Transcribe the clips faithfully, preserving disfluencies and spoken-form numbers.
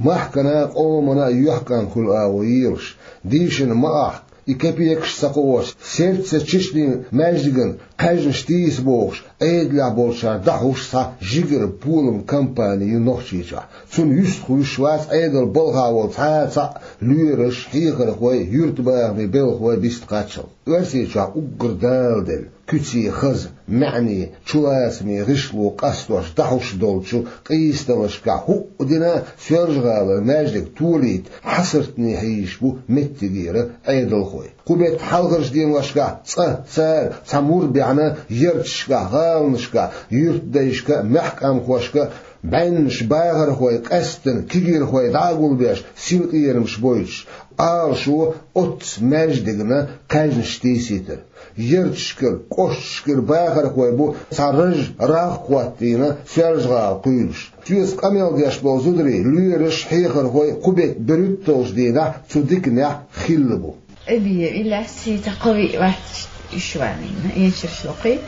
Махкана а, къомана а юьхькӀам хуьлу агӀо елаш, дийшина ма ахка, и кепекаш ца кхоош, Сердце Чечни маьждиган кхаьжнаш тийса бохуш, Ӏедалехь болчара дӀахьуш цхьа жигара полан кампани ю Нохчийчохь. Цунна юьстахвуьйш вац Ӏедалан балхахь волу цхьа а цхьаъ лоьраш, хьехархой, юьртабахамийн белхалой биста кхаччалц. Оьрсийчохь уггар даладелла, куьце хаза, маьӀне, чулацаме гӀишло къастош дӀахьуш долчу къийсадаллашкахь хӀуъа дина Соьлжа-ГӀалара маьждиг толийта хьасартане хьийзаш бу меттигера Ӏедалхой. Кху беттан хьалхарчу деношкахь цкъа цара цхьа мур баьхна ярташкахь, гӀаланашкахь, юьртдайшка а, маьхкамхошка а, бӀеннаш бахархой, къаьсттина кегийрхой дӀа а гулбеш, синкъерамаш бойтуш, Ӏалашо оццу маьждигна кхаьжнаш тийсийтар. Ярташкара, кӀошташкара бахархой бу цхьа ража рагӀ а хӀоттийна Соьлжа-ГӀала кхуьйлуш. Соьца къамел деш болу зударий, лоьраш, хьехархой кху беттан берхӀитталгӀачу дийнахь цу диканехь хилла бу. Эбе, и лаьцна сийца кховиъ вац, уьш ванийна, эшарш локхуьйту,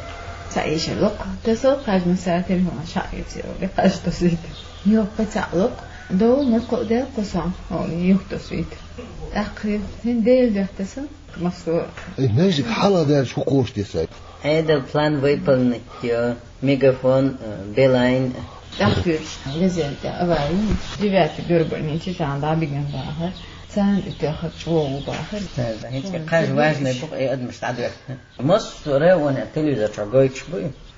цхьа эшар локху, тасо кхажна са телефон шаъ юьцу, кхаж тосуьйту. Йоккха цхьаъ локху, довла ма кхоъ дел кхо сон, о, юх тосуьйту. ТӀаккха хӀин Дела дуьхьа тасо, массо а. Эй, маьждиг хьалха даьлча хӀун кхочуш десай? Ӏедал план выполнить йо, Мегафон, э, Билайн. ТӀаккха туьйсу, везенте аварийный, девятый горбольничий чохь дӀабигина бахара. Царна и тоьхна чӀогӀа бахара. ХӀинца кхаж важный бу-кх и адамаш дӀадоьхна. Массо а районехь телевизор чохь гойтуш бу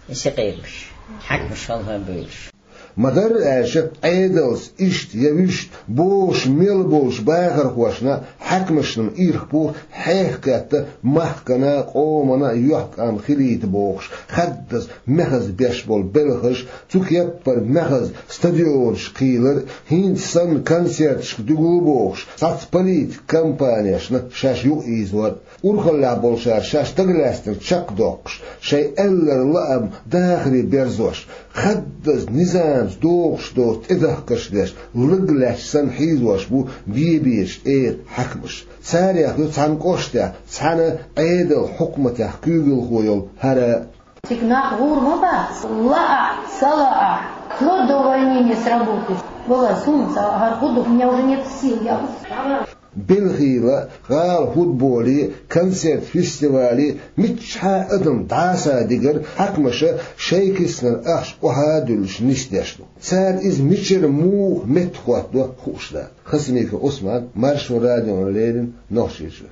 и синкъерамаш, хьаькамаш хьалха бевллаш. Ма-дарра аьлча, Ӏедалца иштта я вуьшта бохуш мел болчу бахархошна, хьаькамашна ирх бу хьехакхетта махкана а, къомана а юьхькӀам хилийта бохуш, хаддаза мехаза беш болу белхаш, цу кеппара мехаза стадионаш кхийлар, хӀинца санна концерташка дуьгул бохуш, цхьацца политикан кампанешна шаьш юкъаийзор. Урхаллехь болчара шаьш дагалаьцнарг чекхдоккхуш, шайн аьлларг лаам дахаре берзош, хаддаза низамца догӀуш доцу тӀедахкарш деш, лаг лаьтташ санна хьийзош бу бен-бечу тӀера хьаькамаш. Царех ю цхьана кӀоштехь, цхьана Ӏедал-хьукматех куьйгалхо йолу хӀара. Цига нах гӀур ма бац, лаахь, ца лаахь, вплоть до увольнения с работы. Валлай, суна ца хӀара хӀун ду, у меня уже нет сил, я устала. Белхийла, гӀала футболе, концерт-фестивале, миччахьа адам дӀаса дигар, хьаькамаша шайн киснара ахча охьа а дуьллуш нисдеш ду. Цара иза мичара муха меттахӀоттадо хууш дац. Хасимиков Ӏусман, Маршо радиона леррина, Нохчийчуьра.